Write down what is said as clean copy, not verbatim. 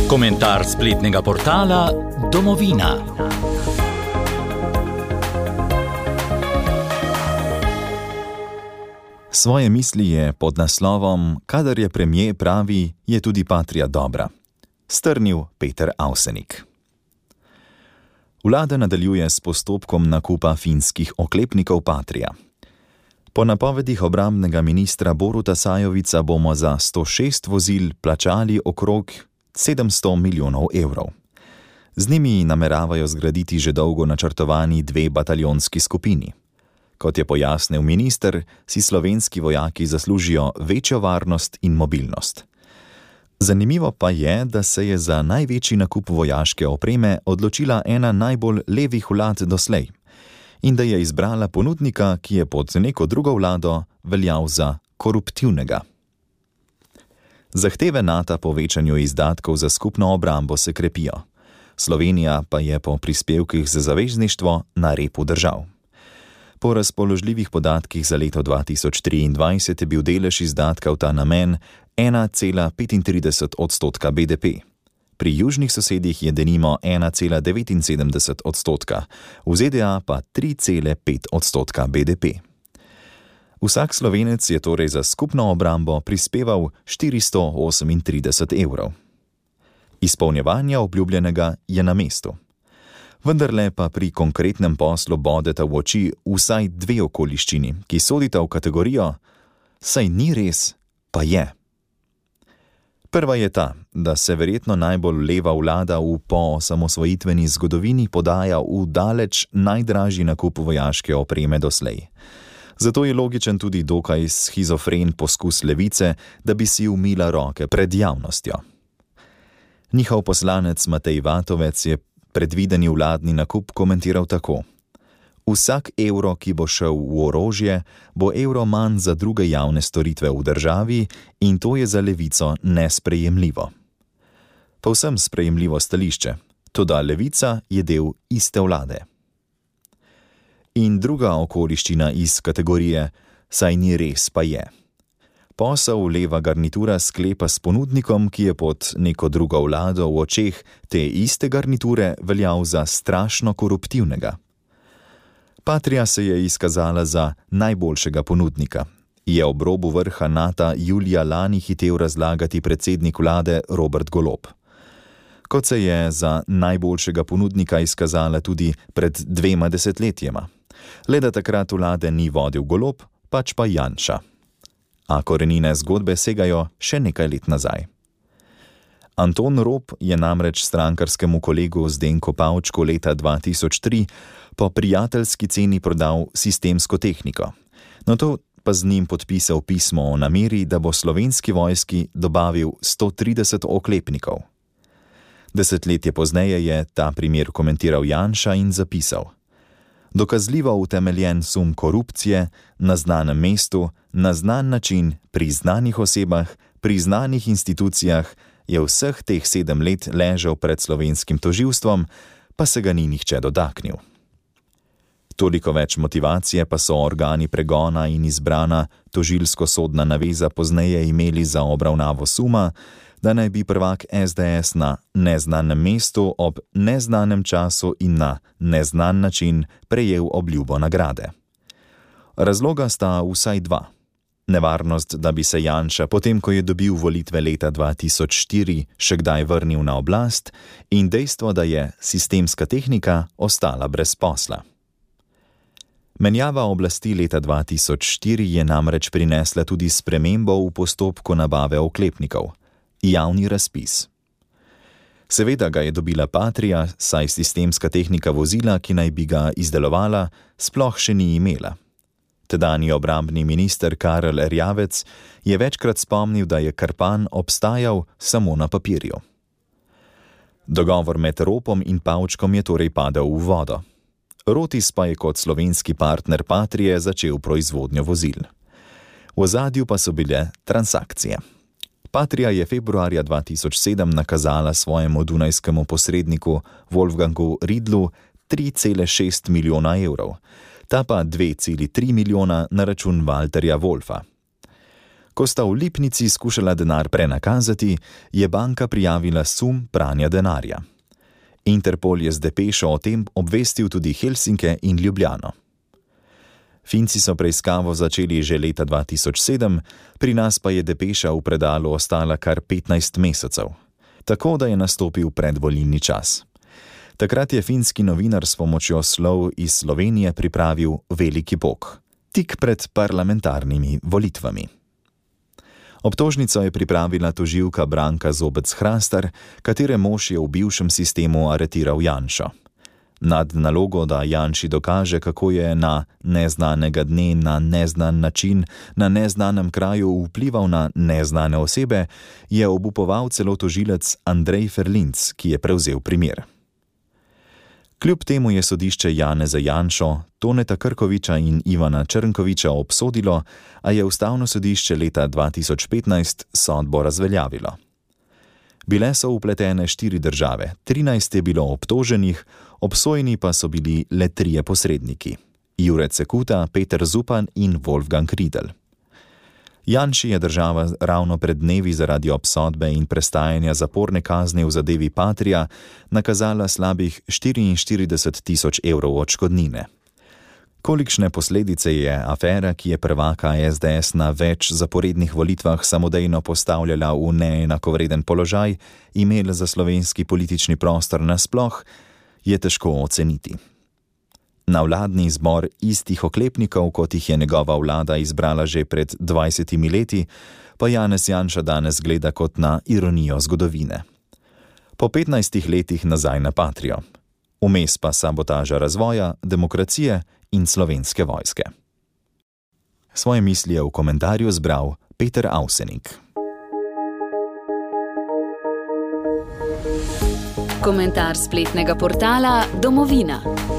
Komentar spletnega portala Domovina. Svoje misli je pod naslovom Kadar je premier pravi, je tudi Patria dobra strnil Peter Avsenik. Vlada nadaljuje s postopkom nakupa finskih oklepnikov Patria. Po napovedih obrambnega ministra Boruta Sajovica bomo za 106 vozil plačali okrog 700 milijonov evrov. Z njimi nameravajo zgraditi že dolgo načrtovani 2 bataljonski skupini. Kot je pojasnil minister, si slovenski vojaki zaslužijo večjo varnost in mobilnost. Zanimivo pa je, da se je za največji nakup vojaške opreme odločila ena najbolj levih vlad doslej in da je izbrala ponudnika, ki je pod neko drugo vlado veljal za koruptivnega. Zahteve NATO po večanju izdatkov za skupno obrambo se krepijo. Slovenija pa je po prispevkih za zavezništvo na repu držav. Po razpoložljivih podatkih za leto 2023 je bil delež izdatka v ta namen 1,35% BDP. Pri južnih sosedih je denimo 1,79%, v ZDA pa 3,5% BDP. Vsak Slovenec je torej za skupno obrambo prispeval 438 evrov. Izpolnjevanje obljubljenega je na mestu. Vendarle pa pri konkretnem poslu bodeta v oči vsaj 2 okoliščini, ki sodita v kategorijo saj ni res, pa je. Prva je ta, da se verjetno najbolj leva vlada v poosamosvojitveni zgodovini podaja v daleč najdražji nakup vojaške opreme doslej. Zato je logičen tudi dokaj shizofren poskus levice, da bi si umila roke pred javnostjo. Njihov poslanec Matej Vatovec je predvideni vladni nakup komentiral tako: vsak evro, ki bo šel v orožje, bo evro manj za druge javne storitve v državi in to je za levico nesprejemljivo. Povsem sprejemljivo stališče, toda levica je del iste vlade. In druga okoliščina iz kategorije saj ni res, pa je. Posel leva garnitura sklepa s ponudnikom, ki je pod neko drugo vlado v očeh te iste garniture veljal za strašno koruptivnega. Patria se je izkazala za najboljšega ponudnika, je ob robu vrha NATO julija lani hitel razlagati predsednik vlade Robert Golob. Kot se je za najboljšega ponudnika izkazala tudi pred 2 desetletjema. Le da takrat vlade ni vodil Golob, pač pa Janša. A korenine zgodbe segajo še nekaj let nazaj. Anton Rop je namreč strankarskemu kolegu Zdenku Pavčku leta 2003 po prijateljski ceni prodal sistemsko tehniko. Nato pa z njim podpisal pismo o nameri, da bo slovenski vojski dobavil 130 oklepnikov. Desetletje pozneje je ta primer komentiral Janša in zapisal: dokazljivo utemeljen sum korupcije na znanem mestu, na znan način, pri znanih osebah, pri znanih institucijah je vseh teh 7 let ležal pred slovenskim tožilstvom, pa se ga ni nihče dotaknil. Toliko več motivacije pa so organi pregona in izbrana tožilsko-sodna naveza pozneje imeli za obravnavo suma, da naj bi prvak SDS na neznanem mestu ob neznanem času in na neznan način prejel obljubo nagrade. Razloga sta vsaj 2. Nevarnost, da bi se Janša, potem ko je dobil volitve leta 2004, še kdaj vrnil na oblast, in dejstvo, da je sistemska tehnika ostala brez posla. Menjava oblasti leta 2004 je namreč prinesla tudi spremembo v postopku nabave oklepnikov. Javni razpis. Seveda ga je dobila Patria, saj sistemska tehnika vozila, ki naj bi ga izdelovala, sploh še ni imela. Tedanji obrambni minister Karel Erjavec je večkrat spomnil, da je Krpan obstajal samo na papirju. Dogovor med Ropom in Pavčkom je torej padel v vodo. Rotis pa je kot slovenski partner Patrije začel proizvodnjo vozil. V ozadju pa so bile transakcije. Patria je februarja 2007 nakazala svojemu dunajskemu posredniku Wolfgangu Riedlu 3,6 milijona evrov, ta pa 2,3 milijona na račun Walterja Wolfa. Ko sta v Lipnici skušala denar prenakazati, je banka prijavila sum pranja denarja. Interpol je z depešo o tem obvestil tudi Helsinke in Ljubljano. Finci so preiskavo začeli že leta 2007, pri nas pa je depeša v predalu ostala kar 15 mesecev, tako da je nastopil predvolilni čas. Takrat je finski novinar s pomočjo slov iz Slovenije pripravil veliki pok, tik pred parlamentarnimi volitvami. Obtožnico je pripravila tožilka Branka Zobec-Hrastar, katere mož je v bivšem sistemu aretiral Janšo. Nad nalogo, da Janši dokaže, kako je na neznanega dne, na neznan način, na neznanem kraju vplival na neznane osebe, je obupoval celo tožilec Andrej Ferlinc, ki je prevzel primer. Kljub temu je sodišče Janeza Janšo, Toneta Krkoviča in Ivana Črnkoviča obsodilo, a je Ustavno sodišče leta 2015 sodbo razveljavilo. Bile so vpletene 4 države, 13 je bilo obtoženih, obsojeni pa so bili le 3 posredniki: Jure Cekuta, Peter Zupan in Wolfgang Riedl. Janši je država ravno pred dnevi zaradi obsodbe in prestajanja zaporne kazni v zadevi Patria nakazala slabih 44 tisoč evrov odškodnine. Kolikšne posledice je afera, ki je prvaka SDS na več zaporednih volitvah samodejno postavljala v neenakovreden položaj, imela za slovenski politični prostor nasploh, je težko oceniti. Na vladni zbor istih oklepnikov, kot jih je njegova vlada izbrala že pred 20 leti, pa Janez Janša danes gleda kot na ironijo zgodovine. Po 15 letih nazaj na Patrio. Vmes pa sabotaža razvoja, demokracije in Slovenske vojske. Svoje misli je v komentarju zbral Peter Avsenik. Komentar spletnega portala Domovina.